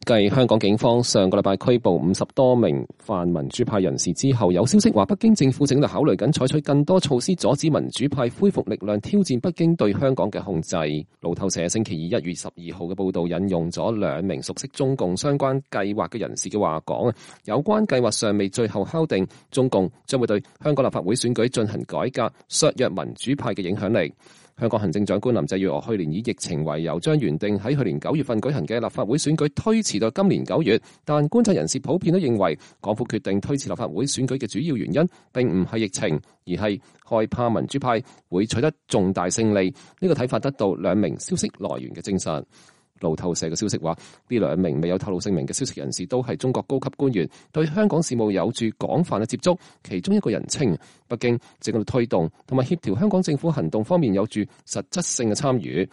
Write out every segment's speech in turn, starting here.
繼香港警方上個禮拜拘捕50多名泛民主派人士之後，有消息話北京政府正在考慮緊採取更多措施阻止民主派恢復力量挑戰北京對香港嘅控制。路透社星期二1月12號嘅報道引用咗2名熟悉中共相關計劃嘅人士嘅話講，有關計劃尚未最後敲定，中共將會對香港立法會選舉進行改革，削弱民主派嘅影響力。香港行政長官林鄭月娥去年以疫情為由，將原定喺去年9月份舉行嘅立法會選舉推遲到今年9月。但觀察人士普遍都認為，港府決定推遲立法會選舉嘅主要原因，並唔係疫情，而係害怕民主派會取得重大勝利。呢個睇法得到2名消息來源嘅證實。路透社嘅消息話，呢2名未有透露姓名嘅消息人士都係中國高級官員，對香港事務有住廣泛嘅接觸。其中一個人稱，北京正喺度推動同埋協調香港政府行動方面有住實質性嘅參與。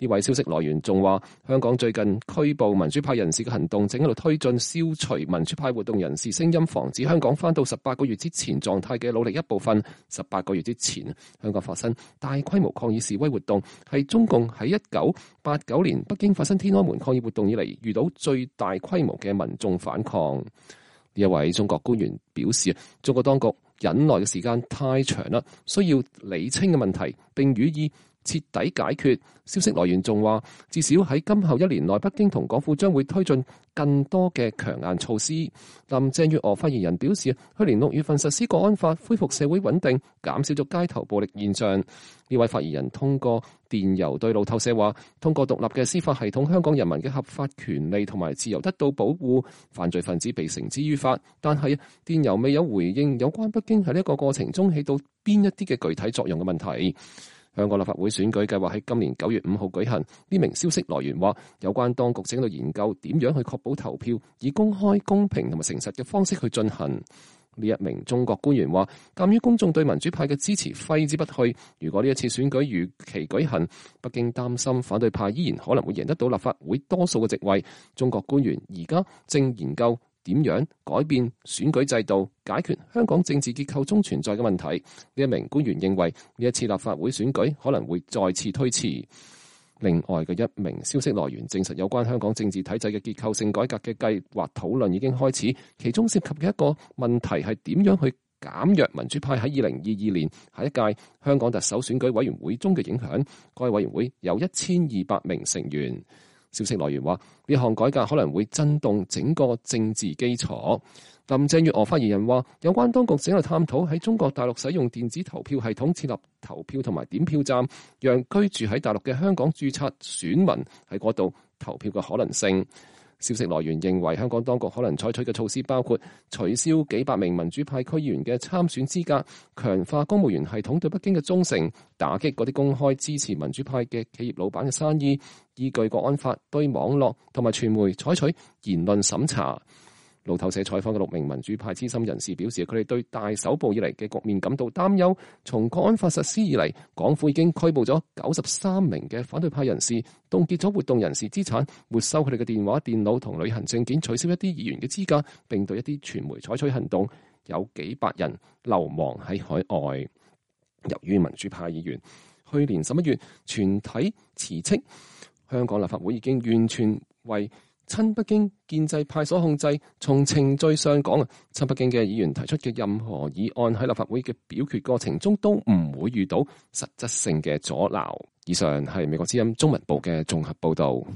呢位消息來源仲話，香港最近拘捕民主派人士嘅行動正喺度推進消除民主派活動人士聲音，防止香港返到18個月之前狀態嘅努力一部分。18個月之前，香港發生大規模抗議示威活動，係中共喺1989年北京發生天安門抗議活動以嚟遇到最大規模嘅民眾反抗。呢一位中國官員表示，中國當局忍耐嘅時間太長啦，需要理清嘅問題並予以徹底解決。消息來源仲話，至少喺今後1年內，北京同港府將會推進更多嘅強硬措施。林鄭月娥發言人表示，去年6月份實施國安法，恢復社會穩定，減少咗街頭暴力現象。呢位發言人通過電郵對路透社話，通過獨立嘅司法系統，香港人民嘅合法權利同埋自由得到保護，犯罪分子被繩之於法。但係電郵未有回應有關北京喺呢一個過程中起到邊一啲嘅具體作用嘅問題。香港立法會選舉計劃喺今年9月5號舉行。呢名消息來源話，有關當局正喺度研究點樣去確保投票以公開、公平同埋誠實嘅方式去進行。呢一名中國官員話，鑑於公眾對民主派嘅支持揮之不去，如果呢一次選舉如期舉行，北京擔心反對派依然可能會贏得到立法會多數嘅席位。中國官員而家正研究點樣改變選舉制度，解決香港政治結構中存在嘅問題。呢一名官員認為，呢一次立法會選舉可能會再次推遲。另外嘅一名消息來源證實，有關香港政治體制嘅結構性改革嘅計劃討論已經開始，其中涉及嘅一個問題係點樣去減弱民主派喺2022年下一屆香港特首選舉委員會中嘅影響。該委員會有1200名成員。消息來源話，呢項改革可能會震動整個政治基礎。林鄭月娥發言人話，有關當局正喺度探討喺中國大陸使用電子投票系統設立投票同埋點票站，讓居住喺大陸嘅香港註冊選民喺嗰度投票嘅可能性。消息來源認為，香港當局可能採取嘅措施包括取消幾百名民主派區議員嘅參選資格，強化公務員系統對北京嘅忠誠，打擊嗰啲公開支持民主派嘅企業老闆嘅生意，依據國安法對網絡同埋傳媒採取言論審查。路透社採訪嘅6名民主派資深人士表示，佢哋對大搜捕以嚟嘅局面感到擔憂。從國安法實施以嚟，港府已經拘捕咗93名嘅反對派人士，凍結咗活動人士資產，沒收佢哋嘅電話、電腦同旅行證件，取消一啲議員嘅資格，並對一啲傳媒採取行動，有幾百人流亡喺海外。由於民主派議員去年11月全體辭職，香港立法會已經完全為親北京建制派所控制。從程序上講，親北京嘅議員提出嘅任何議案喺立法會嘅表決過程中都唔會遇到實質性嘅阻撓。以上係美國之音中文部嘅綜合報導。